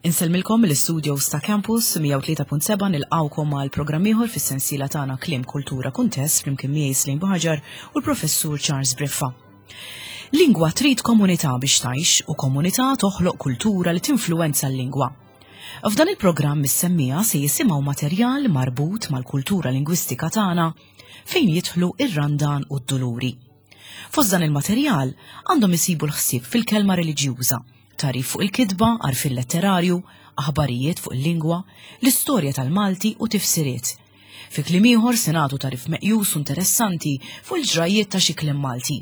Insellmilkom mill-istudios ta' Campus 103.7 nilqgħukom għal programm ieħor fis-sensiela tagħna Kliem Kultura Kuntest flimkien miegħi Slim Buħaġar u l-Professur Charles Briffa. Lingwa trid komunità biex tgħix u komunità toħloq kultura li tinfluwenza l-lingwa. F'dan il-programm is-semmija se jisimgħu materjal marbut mal-kultura lingwistika tagħna fejn jidħlu ir-randan u d-duluri. Fost dan il-materjal għandhom isibu l-ħsieb fil-kelma reliġjuża, tagħrif fuq il-kitba, għarfien letterarju, aħbarijiet fuq il-lingwa, l-istorja tal-Malti u tifsiriet. Fi kliem ieħor se nagħtu tagħrif meqjus u interessanti fuq il-ġrajjiet ta' xi kliem Malti.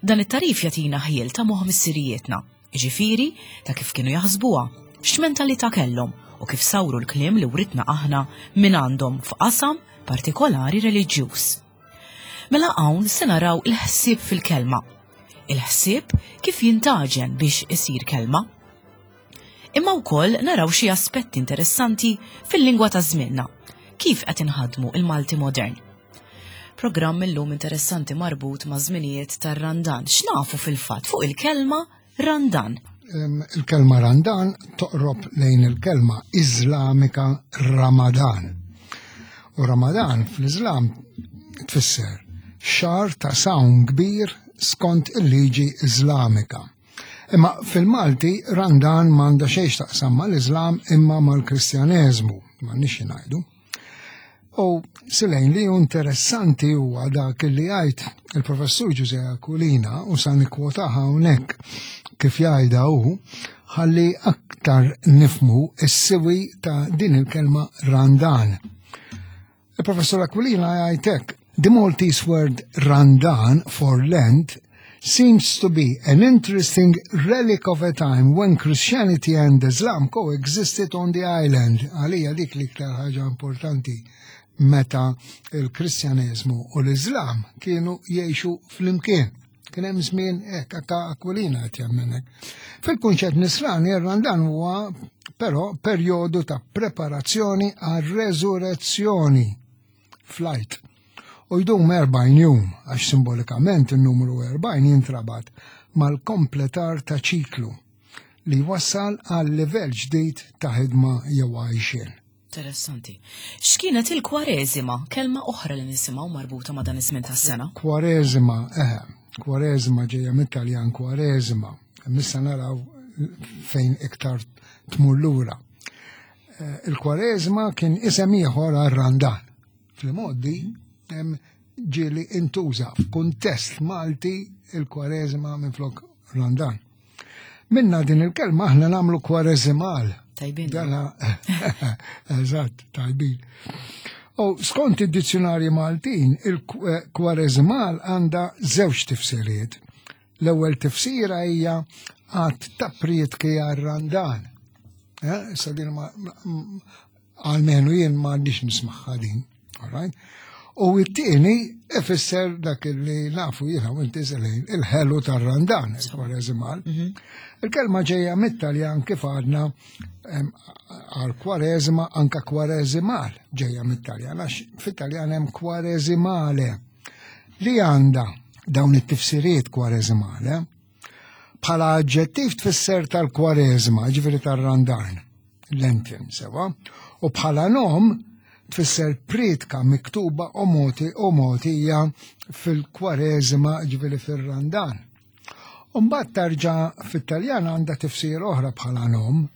Dan it-tagħrif jagħtina ħjiel ta' moħħ missirijietna, jiġifieri ta' kif kienu jaħsbuha, x'mentalità kellhom u kif sawru l-kliem li writna aħna minn għandhom f'qasam partikolari reliġjuż. Mela hawn se naraw il-ħsieb fil-kelma. Il-ħsieb kif jintaġen biex isir kelma. Imma wkoll naraw xi aspetti interessanti fil-lingwa ta' żmienna, kif qed inħadmu il-Malti modern. Programm illum interessanti marbut ma' żminijiet tar-Randan. X'nafu fil-fatt fuq il-kelma Randan? Il-kelma Randan toqrob lejn il-kelma Iżlamika Ramadan. U Ramadan fl-Iżlam tfisser xahar ta' sawm kbir skont il-liġi Iżlamika. Imma fil-Malti Randan m'għandha xejn x'taqsam mal-Iżlam imma mal-Kristjaneżmu, m'għandniex ngħidu. U silejn li interessanti huwa dak li jgħid il-professur Ġuże Aquilina u sa nikkwotaha hawnhekk kif jgħidha hu ħalli aktar nifmu s-siwi ta' din il-kelma randan. Il-professur Aquilina jgħid hekk, The Maltese word randan for Lent seems to be an interesting relic of a time when Christianity and Islam coexisted on the island. Għalija dik l-iktar ħaġa importanti meta il-Kristjaneżmu u l-Islam kienu jgħixu flimkien. Kien hemm żmien hekk anke Aquilina qed jemmen hekk. Fil-kunċett nisrani ir-Randan huwa però perjodu ta' preparazzjoni għar-reżurezzjoni flight. U jdum 40 jum, għax simbolikament il-numru 40 jintrabat mal-kompletar ta' ċiklu li wassal għal livell ġdid ta' ħidma jew għajxien. Interessanti. X'kienet il-kwareżima, kelma oħra li nisimgħu marbuta ma' dan iż-żmien tas-sena? Kwareżima, eh, kwareżima ġejja mit-Taljan kwareżima. Missa naraw fejn iktar tmur lura. Eh, il-Kwareżma kien isem ieħor għar-Randan. Fil-modi ġieli intuża f'kuntest Malti il-Kwareżma minflok Randan. Minna din il-kelma aħna nagħmlu kwareżimal. Tajbin. Dana, eżatt, tajbin. U skont id-dizzjonarji Maltin, il-kwareżimal għandha żewġ tifsiriet. L-ewwel tifsira hija għadd ta' prietki għar-Randan. Eh, issa din ma għalmenu jien ma għandix nismaħħa din. All U it-tieni ifisser dak li nafu jiena u inti selejn il-ħelu tar-Randan, il-kwareżimal. Mhm. Il-kelma ġejja mit-Taljan kif għadna għal kwareżma anka kwareżimal ġejja mit-Taljan, għax fit-Taljan hemm kwareżimale li għandha dawn it-tifsiriet kwareżimale bħala aġġettiv tfisser tal-kwareżma, ġifieri tar-randan, Lenten, sewa, u bħala nom tfisser priedka miktuba u moti u mogħtija fil-kwareżma ġifieri fir-randan. Umbat tarġa fit-Taljan għandha tifsir oħra bħala nom,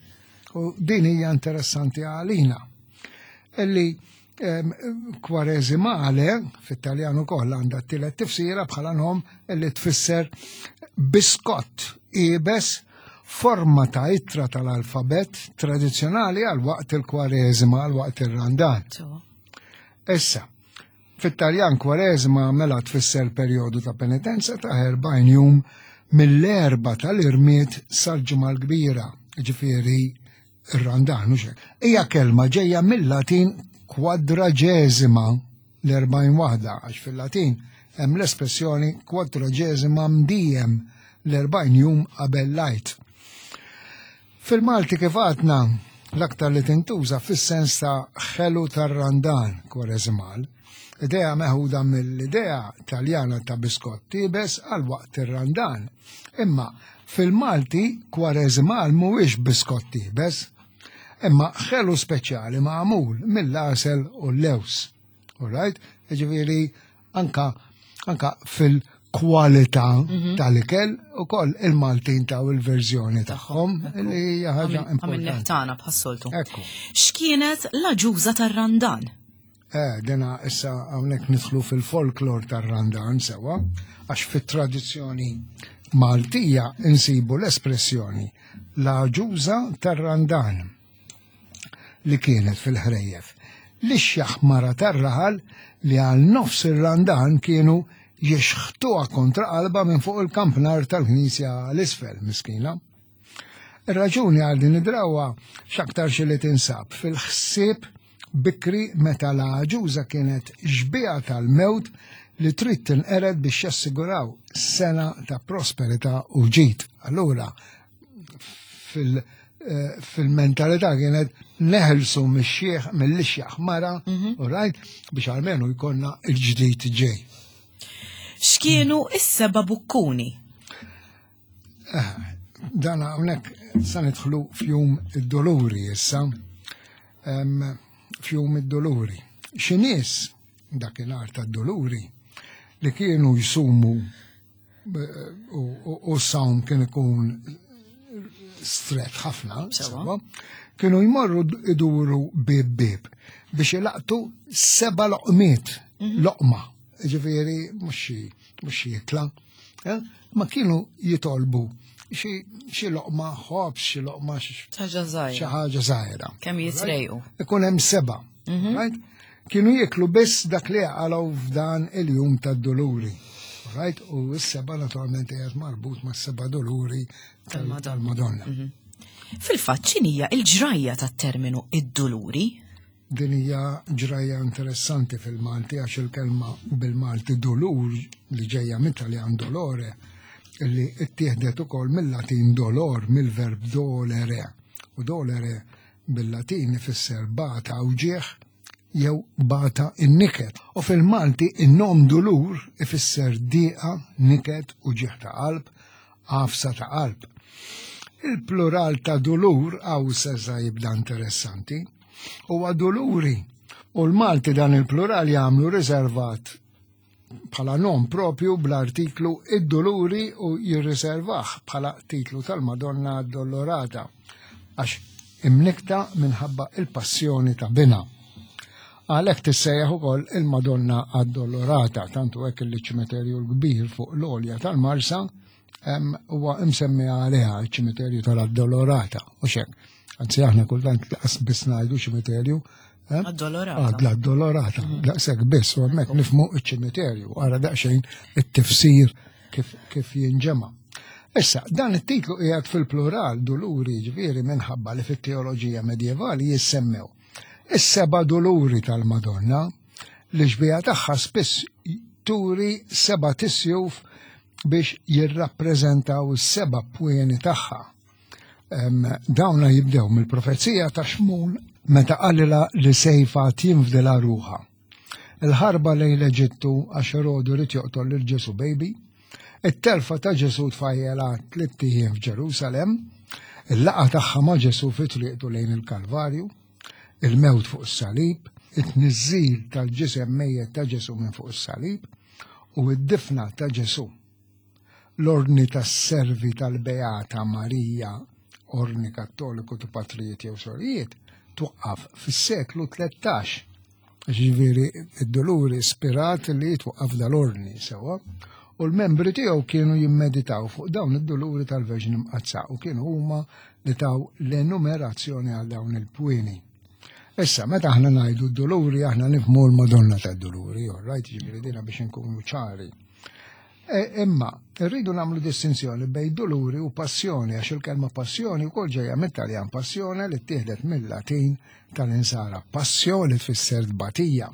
u din hija interessanti għalina. Illi Kwareżimale, fit-Taljan ukoll għandha t-tielet tifsira bħala nom li tfisser biskott iebes forma ta' ittra tal-alfabet tradizzjonali għal waqt il-kwareżima għal waqt ir-randan. Issa, fit-Taljan kwareżima mela tfisser perjodu ta' penitenza ta' 40 jum mill-erba tal-irmiet sal-ġimgħa l-kbira, ġifieri Ir-randan, hux hekk. Hija kelma ġejja mill-Latin quadragesima, l-40 waħda, għax fil-Latin hemm l-espressjoni quadragesima mdiem l-40 jum qabel l-Għid. Fil-Malti kif għadna l-aktar li tintuża fis-sens ta' ħelu tar-randan, kwareżimal, idea meħuda mill-idea Taljana ta' biskott iebes għal waqt ir-randan. Imma Fil-Malti, kwareżimal mhuwiex biskott iebes. Imma ħelu speċjali magħmul mill-għasel u l-lews. All right? Ġifieri anka anka fil-kwalità mhm. tal-ikel ukoll il-Maltin taw il-verżjoni tagħhom li hija ħaġa importanti. tagħna bħas-soltu. X'kienet l-aġuża tar-Randan? Eh, dena issa hawnhekk nidħlu fil-folklor tar-Randan sewa, għax fit-tradizzjoni Maltija insibu l-espressjoni l-għaġuża tar-Randan li kienet fil-ħrejjef. L-ixjaħ mara tar-raħal li għal nofs ir-Randan kienu jixħtuha kontra qalba minn fuq il-kampnar tal-knisja l-isfel, miskina. Ir-raġuni għal din id-drawwa x'aktarx li tinsab fil-ħsieb bikri meta l-għaġuża kienet xbieha tal-mewt li trid tinqered biex jassiguraw sena ta' prosperità u ġid. Allura, eh, fil-mentalità kienet neħelsu mix-xieħ mill-ixjaħ mara, mhm. u rajt biex almenu jkollna il-ġdid ġej. X'kienu is-seba' bukkuni? Eh, dan hawnhekk sa nidħlu fjum id-doluri issa. Fjum id-doluri. Xi nies dakinhar tad-doluri li kienu jsumu eh, u s-sawm kien ikun stret ħafna, kienu jmorru iduru bib bib biex ilaqtu seba loqmiet, mhm. loqma, ġifieri mhux xi ikla. Eh? Ma kienu jitolbu xi loqma ħobs, xi loqma xi ħaġa żgħira. Kemm jitrejqu. Ikun hemm seba. Mhm. Right? Kienu jieklu biss dak li għalaw f'dan il-jum tad-doluri. Right? U s-seba naturalment qiegħed marbut ma' seba doluri tal-Madonna. Mhm. Fil-fatt x'inhija il-ġrajja tat-terminu id-doluri? Din hija ġrajja interessanti fil-Malti għax il-kelma bil-Malti dolur li ġejja mit-Taljan dolore li ttieħdet ukoll mill-Latin dolor mill-verb dolere. U dolere bil-Latin ifisser bata wġigħ jew bata in-niket. U fil-Malti in-nom dulur ifisser diqa, niket u ġieħ ta' qalb, għafsa ta' qalb. Il-plural ta' dulur għaw seza jibda interessanti. Huwa duluri. U l-Malti dan il-plural jagħmlu riservat bħala nom propju bl-artiklu id-duluri u jirriservah bħala titlu tal-Madonna Addolorata għax imnikta minħabba il-passjoni ta' bina. Għalhekk tissejjaħ ukoll il-Madonna Addolorata, tantu hekk li ċimiterju l-kbir fuq l-għolja tal-Marsa huwa imsemmi għaliha ċ-ċimiterju tal-Addolorata, u xek. Anzi aħna kultant laqas biss ngħidu ċimiterju. Eh? Addolorata. L-Addolorata, mhm. daqshekk biss, u hemmhekk nifhmu ċ-ċimiterju, ara daqsxejn it-tifsir kif, kif jinġema. Issa, dan it-titlu qiegħed fil-plural duluri ġifieri minħabba li fit-teoloġija medjevali jissemmew is-seba' duluri tal-Madonna li xbija tagħha spiss turi seba' tisjuf biex jirrappreżentaw is-seba' pwieni tagħha. Dawna jibdew mill-profezija ta' Xmun meta qalilha li sejfa tinfdilha ruħha. Il-ħarba lejn l-Eġittu għax Erodu rid joqtol lil Ġesu baby, it-telfa ta' Ġesu tfajjela tlitt ijiem f'Ġerusalem, il-laqgħa tagħha ma' Ġesu fi triqtu lejn il-Kalvarju, il-mewt fuq is-salib, it-tniżżil tal-ġisem mejjet ta' Ġesu minn fuq is-salib u d-difna ta' Ġesu. L-Ordni tas-Servi tal-Beata Marija, Ordni Kattoliku ta' Patrijiet jew Sorijiet, twaqqaf fis-seklu 13. Ġifieri id-Duluri ispirat li jitwaqqaf dal-ordni sewwa u l-membri tiegħu kienu jimmeditaw fuq dawn id-duluri tal-Verġni Mqaddsa u kienu huma li taw l-enumerazzjoni għal dawn il-pwieni. Issa, meta aħna ngħidu d-duluri, aħna nifhmu l-Madonna tad-Duluri, all right, ġifieri dina biex inkunu ċari. E, imma, rridu nagħmlu distinzjoni bejn duluri u passjoni, għax il-kelma passjoni wkoll ġejja mit-Taljan passjone li ttieħdet mill-Latin tal-insara passio li tfisser tbatija.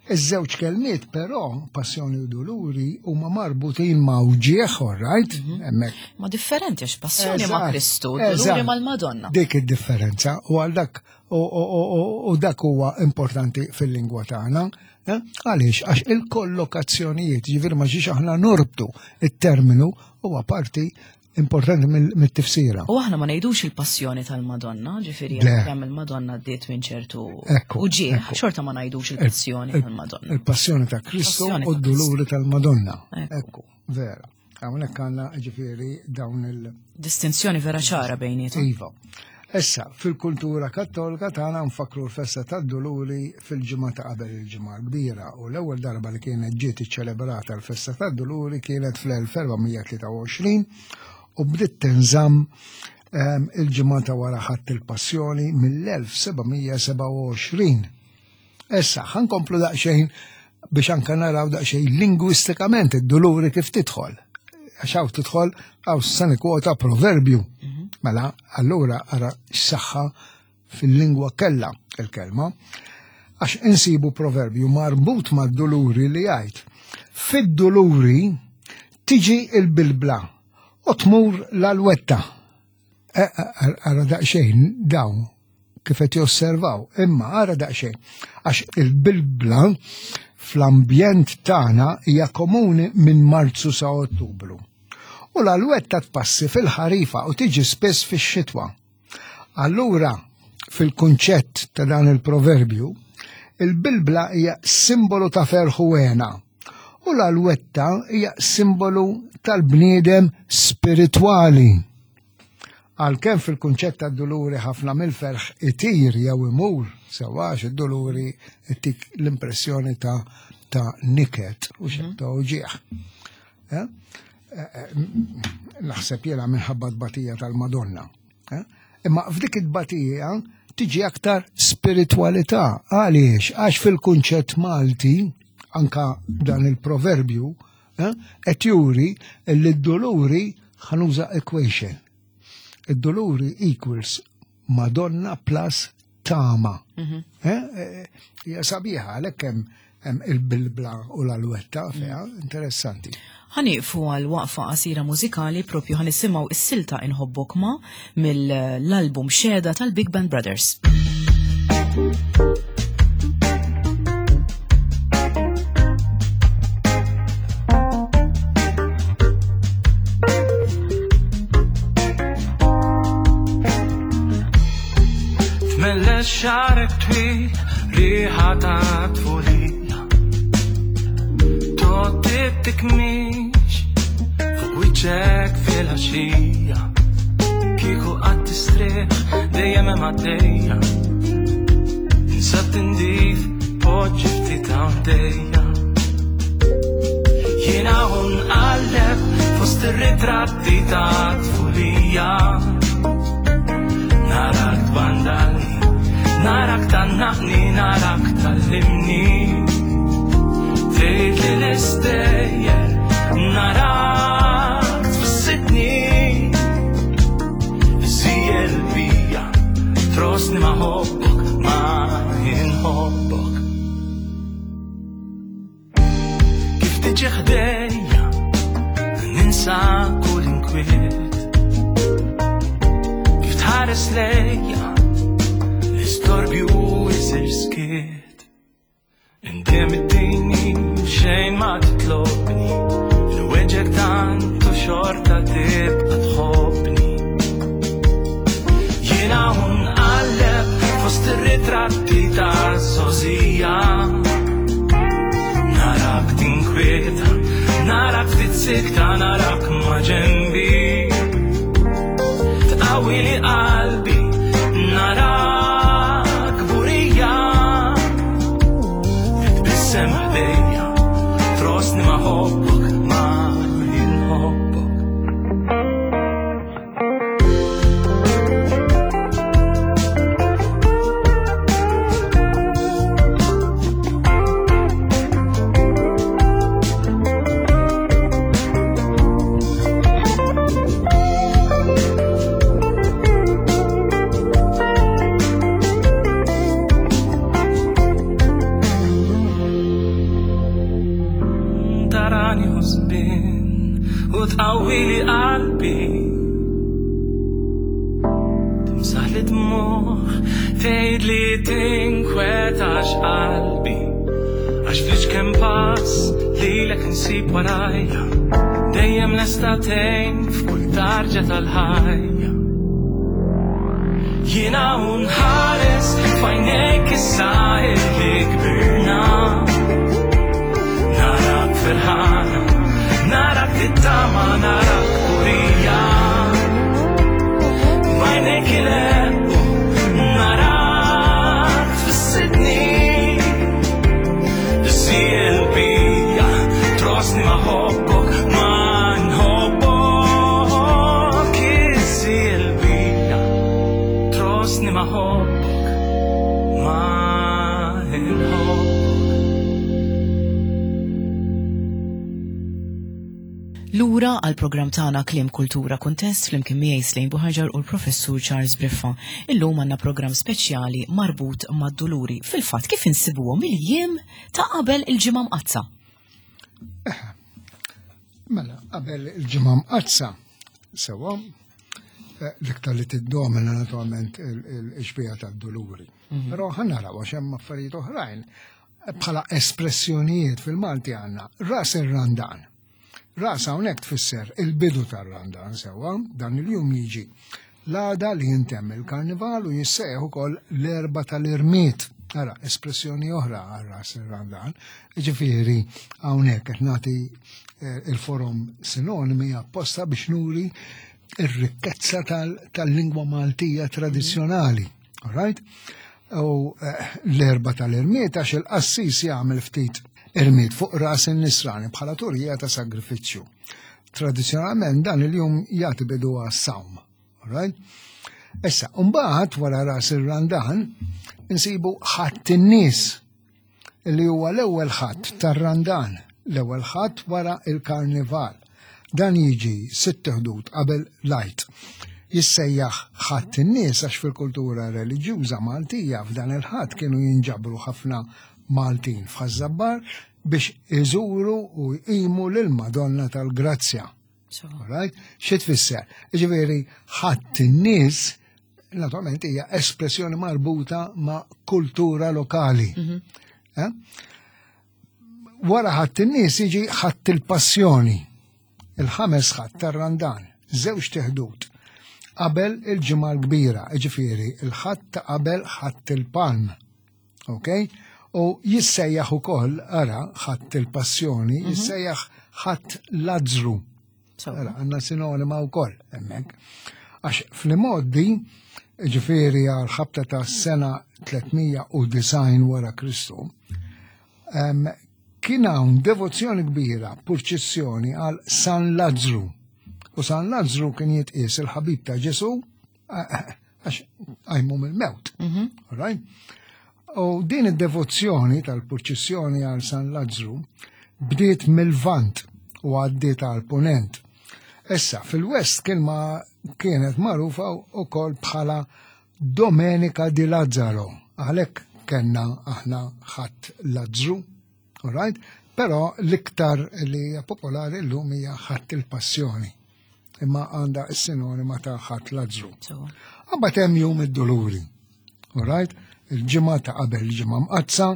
Iż-żewġ kelmiet però, passjoni u duluri, huma marbutin ma' wġieħ, all right, mhm. hemmhekk. Ma differenti għax passjoni ma' Kristu, duluri mal-Madonna. Dik id-differenza u għal dak u dak huwa importanti fil-lingwa tagħna. Eh? Għaliex għax il-kollokazzjonijiet, ġifieri ma ġiex aħna norbtu it-terminu huwa parti importanti mit-tifsira. U aħna ma ngħidux il-passjoni tal-Madonna, ġifieri kemm il-Madonna ddiet minn ċertu uġieħ, xorta ma ngħidux il-passjoni tal-Madonna. Il-passjoni ta' Kristu u d-duluri tal-Madonna. Ekku, vera. Hawnhekk għandna ġifieri dawn il- Distinzjoni vera ċara bejnietom. Iva. Issa, fil-kultura kattolika tagħna nfakru l-festa tad-Duluri fil-ġimgħa ta' qabel il-Ġimgħa l-Kbira u l-ewwel darba li kienet ġiet iċċelebrata l-festa tad-Duluri kienet fl-1423 u bdiet tinżamm ehm, il-ġimgħa ta' wara ħadd il-Passjoni mill-1727. Issa, ħankomplu daqsxejn biex anka naraw daqsxejn lingwistikament id-duluri kif tidħol. Għax hawn tidħol hawn se nikkwota proverbju. Mhm. Mela, allura ara x-saħħa fil-lingwa kella il-kelma. Għax insibu proverbju marbut mad-duluri li jgħid. Fid-duluri tiġi il-bilbla u tmur l-alwetta. E, e, ara daqsxejn dawn kif qed josservaw, imma ara daqsxejn għax il-bilbla fl-ambjent tagħna hija komuni minn Marzu sa Ottubru. U l-alwetta tpassi fil-ħarifa u tiġi spiss fix-xitwa. Allura, fil-kunċett ta' dan il-proverbju, il-bilbla hija simbolu ta' ferħ u hena u l-alwetta hija simbolu tal-bniedem spiritwali. Għalkemm fil-kunċett tad-duluri ħafna mill-ferħ itir jew imur, sewwa għax id-duluri ittik l-impressjoni ta' ta' niket u xejn mhm. ta' uġieħ. Eh? Eh, eh, naħseb jiena minħabba tbatija tal-Madonna. Imma f'dik it-tbatija tiġi aktar spiritwalità. Għaliex? Għax fil-kunċett Malti, anka dan il-proverbju, qed juri li d-duluri ħanuża equation. Id-duluri equals Madonna plus tama. Mhm. Eh, eh, hija sabiħa għalhekk hemm hemm il-bilbla u l-alwetta fiha, mhm. interessanti. Ħaniqfu għal waqfa qasira mużikali propju ħanisimgħu is-silta Inħobbok ma mill-album Xeda tal-Big Band Brothers. Tmelles xarek twil, riħa ta' tfulija. Totti tikmix, fuq wiċċek fil-ħaxija. Kieku qatt tistrieħ, dejjem hemm għaddejja. Tinsa tindif, poġġi ftit għaddejja. Jiena un qalleb fost ir-ritratti ta' tfulija. Narak tbandalni, narak tannaqni, narak tallimni. Tgħid li l-istejjer, narak tfissidni. Żijel bija, trosni ma ħobbok, ma inħobbok. Kif tiġi ħdejja, ninsa kull inkwiet. Kif tħares lejja, l-istorbju jisir skiet. Indem it-tini, xejn ma titlobni, l-weġek tant u xorta tibqa tħobbni. Jiena nqalleb fost ir-ritratti ta' sozija. Narak tinkwieta, narak ftit sikta, narak ma' ġenbi. Tqawwi li qalbi, narak burija. Titbissem ħdejja, trosni ma' ħobbok, ma' inħobbok. Tarani ħosbin u tqawwili qalbi. Timsaħ li dmuħ, tgħid li tinkwetax qalbi. Għax fliċ kemm pass lilek insib warajja. Dejjem lesta tgħin f'kull tarġa tal-ħajja. Jiena nħares f'għajnejk issa illi kbirna. Narak ferħana, narak tittama, narak purija. F'għajnejk ileqqu, narak tfissidni. Żiel bija, trosni ma ħobbok, ma nħobbok. Iżiel bija, trosni ma ħobbok, ma nħobbok. Lura għal programm tagħna Kliem Kultura Kuntest flimkien miegħi Slejn Buħaġar u l-Professur Charles Briffa. Illum għandna programm speċjali marbut mad-duluri. Fil-fatt kif insibuhom il-jiem ta' qabel il-ġimgħa mqaddsa. Mela, qabel il-ġimgħa mqaddsa, sewwa, l-iktar li tiddomina naturalment il-xbieha tad-duluri. Però ħa naraw għax hemm affarijiet oħrajn bħala espressjonijiet fil-Malti għandna ras ir-Randan. Ras hawnhekk tfisser il-bidu tar-Randan sewwa, dan il-jum jiġi l-għada li jintemm il-karnival u jissejjaħ ukoll l-Erbgħa tal-Irmied. Ara, espressjoni oħra għal ras ir-Randan. Ġifieri hawnhekk qed nagħti il-forom sinonimi apposta biex nuri ir-rikkezza tal-lingwa Maltija tradizzjonali. All right? U l-Erbgħa tal-Irmied għax il-qassis jagħmel ftit irmied fuq ras in-nisrani bħala turija ta' sagrifiċċju. Tradizzjonalment dan il-jum jagħti bidu għas-sawm. All right? Issa, mbagħad wara ras ir-Randan insibu Ħadd in-nies li huwa l-ewwel ħadd tar-Randan, l-ewwel ħadd wara il-Karnival. Dan jiġi 6 ħdud qabel l-Għid. Jissejjaħ Ħadd in-nies għax fil-kultura reliġjuża Maltija f'dan il-ħadd kienu jinġabru ħafna Maltin f'Ħaż-Żabbar biex iżuru u jqimu lil Madonna tal-Grazzja. Right? Xi tfisser? Ġifieri Ħadd in-nies naturalment hija espressjoni marbuta ma' kultura lokali. Wara Ħadd in-nies jiġi Ħadd il-Passjoni, il-ħames ħadd tar-Randan, żewġ teħdud qabel il-Ġimgħa l-Kbira, ġifieri il-ħadd ta' qabel Ħadd il-Palm. Ok? U jissejjaħ ukoll, ara, Ħadd il-Passjoni, jissejjaħ Ħadd Lazzru. Ara, għandna sinonima wkoll hemmhekk. Għax fl-imgħoddi, ġifieri għal ħabta ta' sena 390 wara Kristu, kien hawn devozzjoni kbira, purċissjoni għal San Lazzru. U San Lazzru kien jitqies il-ħabib ta' Ġesu għax għajmu mill-mewt. All right? U din id-devozzjoni tal-purċissjoni għal San Lazzru bdiet mill-Vant u għaddiet għal Punent. Issa, fil-West kien ma kienet magħrufa wkoll bħala Domenica di Lazzaro. Għalhekk kellna aħna Ħadd Lazzru, all right? Però l-iktar li hija popolari llum hija Ħadd il-Passjoni. Imma għandha s-sinonima ta' Ħadd Lazzru. Imbagħad hemm Jum id-Duluri. All right? Il-ġimgħa ta' qabel il-ġimgħa mqaddsa,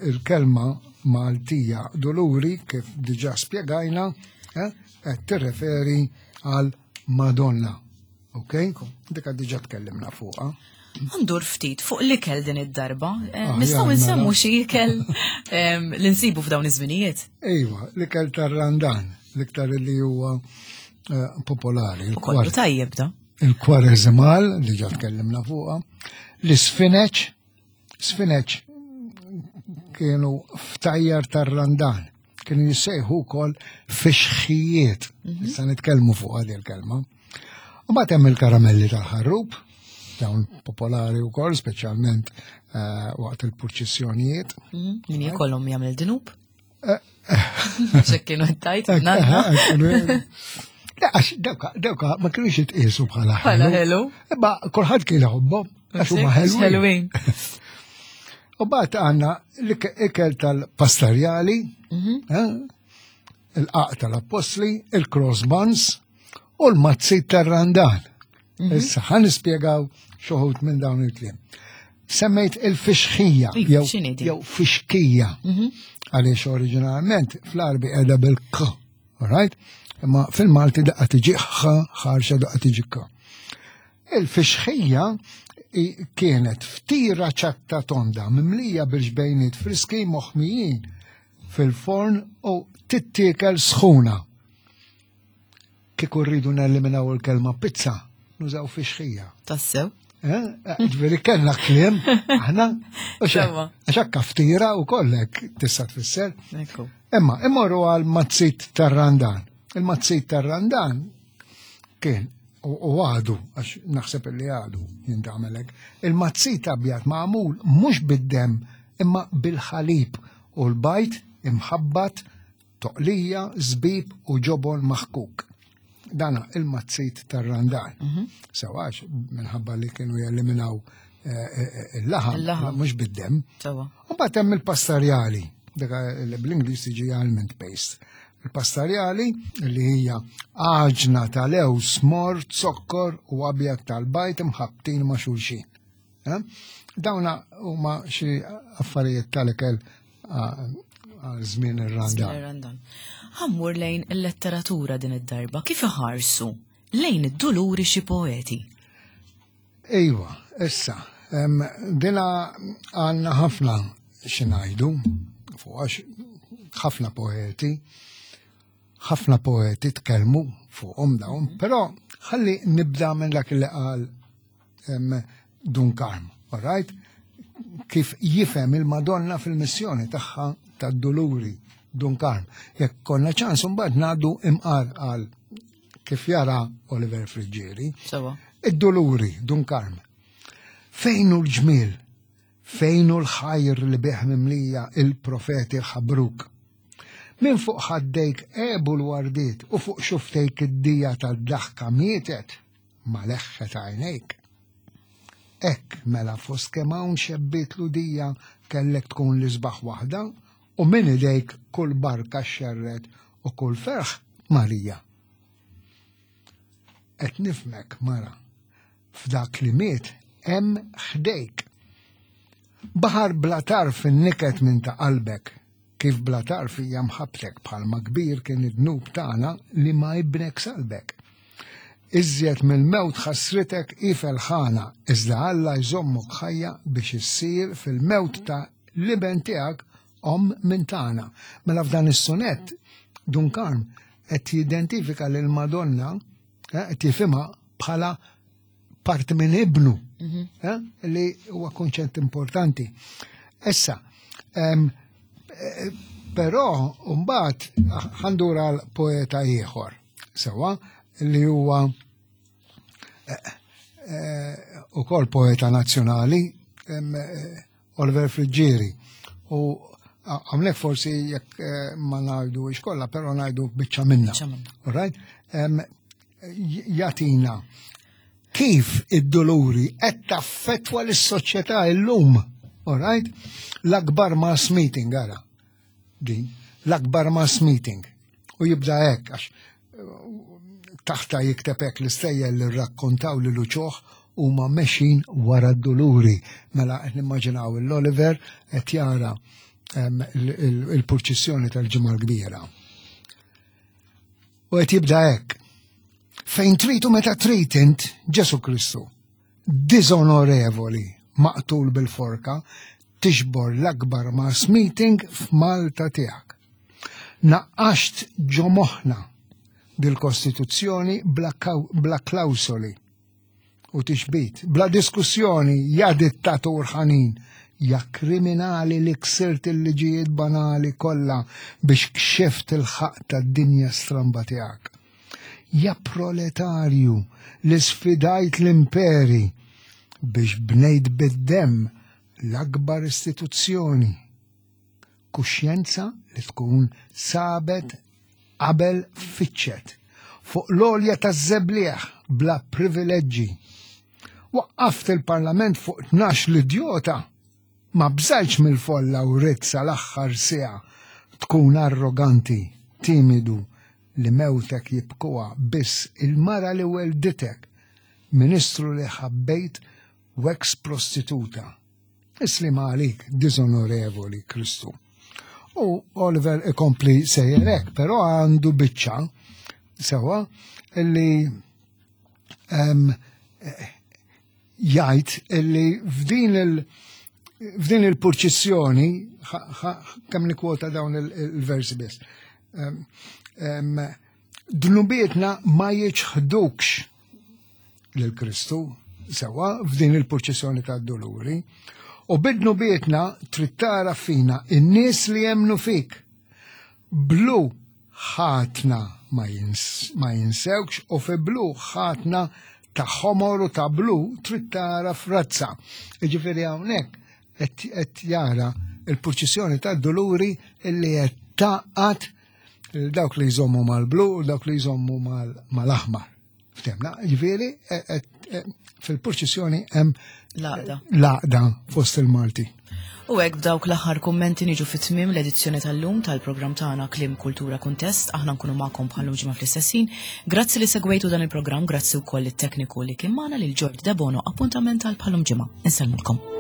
il-kelma Maltija Duluri, kif diġà spjegajna, qed tirreferi għal Madonna. Ok? Dik diġà tkellimna fuqha. Ndur ftit fuq l-ikel din id-darba. Nistgħu nsemmu xi ikel li nsibu f'dawn iż-żminijiet? Iva, l-ikel tar-Randan, l-iktar li huwa popolari. U kollu tajjeb da. Il-kwareżimal, li ġa tkellimna fuqha, l-isfineċ, sfineċ kienu ftajjar tar-Randan, kienu jissejħu wkoll fixħijiet, issa nitkellmu fuq għadi l-kelma. U mbagħad hemm il-karamelli tal-ħarrub, dawn popolari wkoll, speċjalment waqt il-purċissjonijiet. Min jkollhom jagħmel dinub? Xek kienu tajt, nanna. Le, għax dawka ma kienux jitqiesu bħala Bħala ħelu. Imma kulħadd kien iħobbhom, għax huma ħelwin. Ħelwin. U mbagħad għandna l-ikel tal-pastarjali, il-qaq tal-appostli, il-cross buns u l-mazzi tar-Randan. Issa ħa nispjegaw xoħut minn dawn il-kliem. Semmejt il-fixħija, Iva, x'inhi din? jew fixkija, għaliex oriġinalment fl-Arbi qiegħda bil-k. Alright? Imma fil-Malti daqqa tiġi ħ ħarxa daqqa tiġi k. Il-fixħija kienet ftira ċatta tonda mimlija bil-ġbejniet friski moħmijin fil-forn u tittiekel sħuna. Kieku rridu neliminaw il-kelma pizza, nużaw fixħija. Tassew? Eh? eh ġveri kellna kliem, aħna, għax hekk ftira u kollek tista' tfisser. Imma immorru għal mazzit tar-randan. Il-mazzit tar-randan kien u għadu, għax naħseb li għadu jintamelek, il-mazzit abjad magħmul mhux bid-dem imma bil-ħalib u l-bajt imħabbat Toqlija, żbib u ġobon maħkuk. Dana il-mazzit tar-randan. Mhm. Sewa għax minħabba li kienu jeliminaw eh, eh, eh, il-laħam, mhux bid-dem. U mbagħad hemm il-pastarjali, dak li bl-Ingliż tiġi almond paste. Il-pastarjali li hija għaġna tal-ews mor, zokkor u abjad tal-bajt imħabbtin ma' xulxin. Eh? Dawna huma xi affarijiet tal-ikel għal żmien ir-Randan. Ħammur lejn il-letteratura din id-darba, kif iħarsu lejn id-duluri xi poeti? Iva, issa, dina għanna ħafna xinajdu, fuq għax ħafna poeti, ħafna poeti tkellmu fuqhom dawn, però ħalli nibda minn dak li qal Dun Karm, all right? Kif jifhem il-Madonna fil-missjoni tagħha tad-Duluri, Dun Karm. Jekk konna ċans mbagħad ngħaddu imqar għal kif jara Oliver Friggieri. Id-Duluri, Dun Karm. Fejn hu l-ġmiel? Fejn hu l-ħajr li bih mimlija il-profeti ħabruk? Minn fuq ħaddejk għebu l-wardiet u fuq xuftejk id-dija tad-daħka mietet. ma leħħet għajnejk. Hekk mela fost kemm hawn xebbiet Lhudija kellek tkun l-isbaħ waħda u minn idejk kull barka xxerred u kull ferħ Marija. Qed nifhmek mara, f'dak li miet hemm ħdejk. Baħar bla tarf in-niket minn ta' qalbek, Kif bla tarf hija mħabbtek bħalma kbir kien id-dnub tagħna li ma ibnek salbek. Iżjed mill-mewt ħassritek hi felħana, iżda Alla jżommok ħajja biex issir fil-mewt ta' l-iben tiegħek omm minn tagħna. Mela f'dan is-sunett Dun Karm qed jidentifika lil Madonna eh, qed jifhimha bħala parti minn ibnu, mhm. eh, li huwa konċett importanti. Issa, eh, però mbagħad ħandur għal poeta ieħor, sewa li huwa eh, ukoll poeta nazzjonali, Oliver Friggieri. U għamlek forsi jekk ma ngħidu kollha, però ngħidu biċċa minna. All right? Jatina kif id-doluri qed taffettwa lis-soċjetà illum. All right? L-akbar mass meeting ara. Din, l-akbar mass meeting. U jibda hekk għax taħta jikteb hekk l-istejjer li rrakkontaw li luċoħ huma mexin wara d-duluri. Mela qed nimmaġinaw l-Oliver qed jara il-purċissjoni tal-ġimgħa l-kbira. U qed jibda hekk. Fejn trid u meta trid int Ġesu Kristu, diżonorevoli, maqtul bil-forka, tixbor l-akbar mass meeting f'Malta tiegħek. Naqqaxt ġo moħħna dil-Kostituzzjoni bla, bla klawsoli u tixbit, bla diskussjoni, ja dittatur ħanin, ja kriminali li ksirt il-liġijiet banali kollha biex kxift il-ħaqq tad-dinja stramba tiegħek. Ja proletarju li sfidajt l-imperi biex bnejt bid-demm l-akbar istituzzjoni. Kuxjenza li tkun sabet qabel fittxet fuq l-għolja taż-żebliegħ bla privileġġi. Waqqaft il-Parlament fuq 12 l-idjota. Ma bżajtx mill-folla u ridt sal-aħħar siegħa tkun arroganti, timidu li mewtek jibkuha biss il-mara li welditek, ministru li ħabbejt u ex prostituta. Is-slima għalik, diżonorevoli Kristu. U Oliver ikompli sejjer hekk, però għandu biċċa sewa illi jgħid illi f'din il- f'din il-purċissjoni, kemm nikwota dawn il-versi biss, dnubietna ma jiċħdukx lil Kristu sewa f'din il-purċissjoni tad-duluri u bidnubietna trid tara fina in-nies li jemnu fik. Blu ħatna ma jinsewkx u fi blu ħatna ta' ħomor u ta' blu trid tara frazza. Jiġifieri hawnhekk qed jara il-purċissjoni tad-duluri illi qed taqgħad dawk li jżommu mal-blu u dawk li jżommu mal-aħmar. Ftemna, ġifieri e, e, e, fil-purċissjoni hemm l-għaqda fost il-Malti. U hekk b'dawk l-aħħar kummenti niġu fit-tmiem l-edizzjoni tal-lum tal-programm tagħna Kliem Kultura Kuntest, aħna nkunu magħkom bħal ġimgħa fl-istessin. Grazzi li segwejtu dan il-programm, grazzi wkoll it-tekniku li kien magħna lil Ġord Debono, appuntament għal bħalum ġimgħa. Insellmulkom.